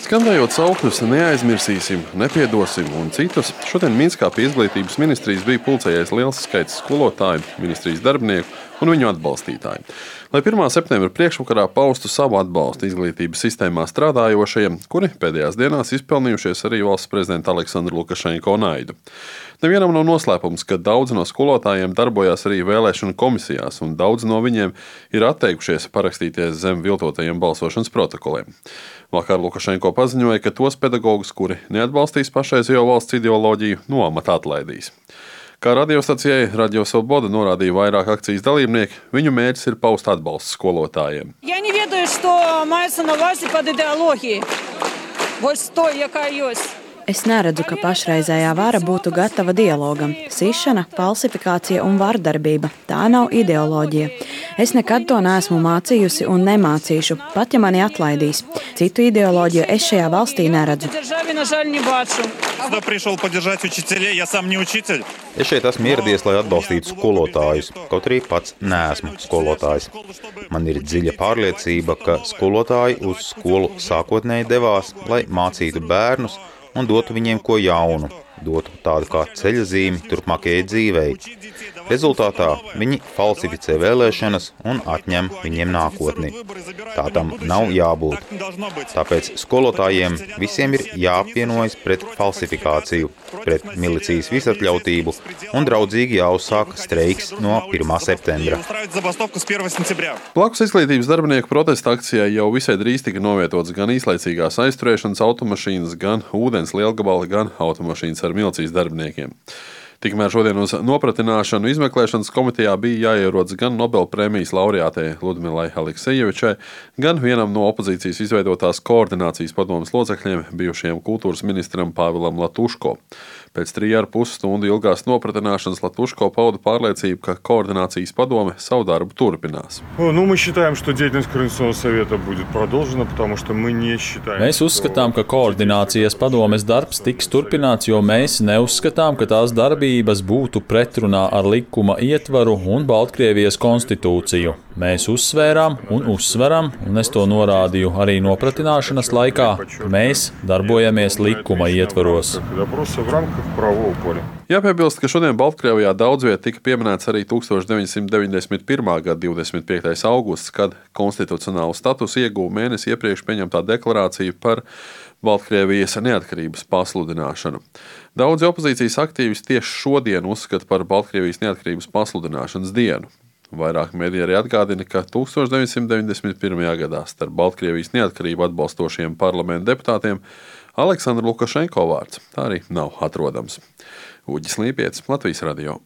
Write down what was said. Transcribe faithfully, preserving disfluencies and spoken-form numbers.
Skandējot saukļus neaizmirsīsim, nepiedosim un citus, šodien Minskā pie izglītības ministrijas bija pulcējies liels skaits skolotāju, ministrijas darbinieku un viņu atbalstītāju. Lai pirmā septembra priekšvakarā paustu savu atbalstu izglītības sistēmā strādājošajiem, kuri pēdējās dienās izpelnījušies arī valsts prezidenta Aleksandra Lukašenko naidu. Nevienam nav noslēpums, ka daudzi no skolotājiem darbojās arī vēlēšanu komisijās, un daudzi no viņiem ir atteikušies parakstīties zem viltotajiem balsošanas protokoliem. Vakar Lukašenko paziņoja, ka tos pedagogus, kuri neatbalstīs pašreizējo valsts ideoloģiju, no amata atlaidīs. Kā radiostacijai Radio Svoboda norādīja vairāk akcijas dalībnieki, viņu mērķis ir paust atbalstu skolotājiem. Я не ведаю, что мається на увазі під ідеологією. Ось то, яка є. Es neredzu, ka pašreizējā vara būtu gatava dialogam. Sišana, falsifikācija un vardarbība – tā nav ideoloģija. Es nekad to neesmu mācījusi un nemācīšu, pat ja mani atlaidīs. Citu ideoloģiju es šajā valstī neredzu. Es šeit esmu ieradies, lai atbalstītu skolotājus, kaut arī pats neesmu skolotājs. Man ir dziļa pārliecība, ka skolotāji uz skolu sākotnēji devās, lai mācītu bērnus un dotu viņiem ko jaunu, dotu tādu kā ceļazīmi turpmākajai dzīvei. Rezultātā viņi falsificē vēlēšanas un atņem viņiem nākotni. Tā tam nav jābūt. Tāpēc skolotājiem visiem ir jāapvienojas pret falsifikāciju, pret milicijas visatļautību un draudzīgi jāuzsāk streiks no pirmā septembra. Blakus izglītības darbinieku protesta akcijai jau visai drīz tika novietotas gan īslaicīgās aizturēšanas automašīnas, gan ūdens lielgabali, gan automašīnas ar milicijas darbiniekiem. Tikmēr šodien uz nopratināšanu izmeklēšanas komitejā bija jāierodas gan Nobelprēmijas laureātei Ludmilai Aleksejevičai, gan vienam no opozīcijas izveidotās koordinācijas padomes locekļiem, bijušajam kultūras ministram Pāvilam Latuško. Pēc trīs ar pus stundu ilgās nopratināšanas Latuško pauda pārliecību, ka koordinācijas padome savu darbu turpinās. Nu, мы считаем, что деятельность Координационного совета будет продолжена, потому что мы не считаем. Mēs uzskatām, ka koordinācijas padomes darbs tiks turpināts, jo mēs neuzskatām, ka tās darbības būtu pretrunā ar likuma ietvaru un Baltkrievijas konstitūciju. Mēs uzsvērām un uzsveram, un es to norādīju arī nopratināšanas laikā, mēs darbojamies likuma ietvaros. Jāpiebilst, ka šodien Baltkrievijā daudz viet tika pieminēts arī tūkstoš deviņsimt deviņdesmit pirmā gada divdesmit piektais augusts, kad konstitucionālu statusu ieguva mēnesi iepriekš pieņemtā deklarācija par Baltkrievijas neatkarības pasludināšanu. Daudzi opozīcijas aktīvisti tieši šodien uzskata par Baltkrievijas neatkarības pasludināšanas dienu. Vairāk mediji arī atgādina, ka tūkstoš deviņsimt deviņdesmit pirmajā gadā starp Baltkrievijas neatkarību atbalstošiem parlamenta deputātiem Aleksandra Lukašenko vārds tā arī nav atrodams. Uģis Līpietis, Latvijas radio.